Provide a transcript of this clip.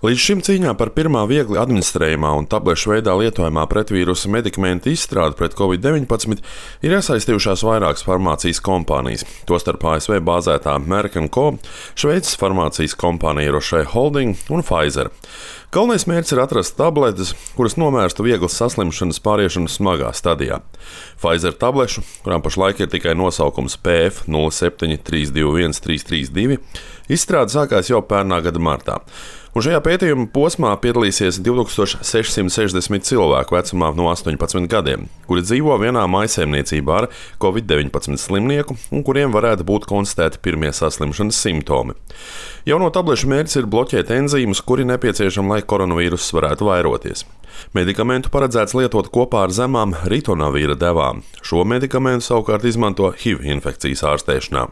Līdz šim cīņā par pirmā viegli administrējumā un tablešu veidā lietojamā pretvīrusa medikamentu izstrādi pret Covid-19 ir iesaistījušās vairākas farmācijas kompānijas, tostarp ASV bāzētā Merck & Co, Šveices farmācijas kompānija Roche Holding un Pfizer. Galvenais mērķis ir atrast tabletes, kuras novērstu vieglas saslimšanas pāriešanu smagā stadijā. Pfizer tablešu, kurām pašlaik ir tikai nosaukums PF 07321-332, izstrāde sākās jau pērnā gada martā. Un šajā pētījuma posmā piedalīsies 2660 cilvēku vecumā no 18 gadiem, kuri dzīvo vienā mājsaimniecībā ar Covid-19 slimnieku un kuriem varētu būt konstatēti pirmie saslimšanas simptomi. Jauno tablešu mērķis ir bloķēt enzīmus, kuri nepieciešami, lai koronavīruss varētu vairoties. Medikamentu paredzēts lietot kopā ar zemām ritonavīra devām. Šo medikamentu savukārt izmanto HIV infekcijas ārstēšanā.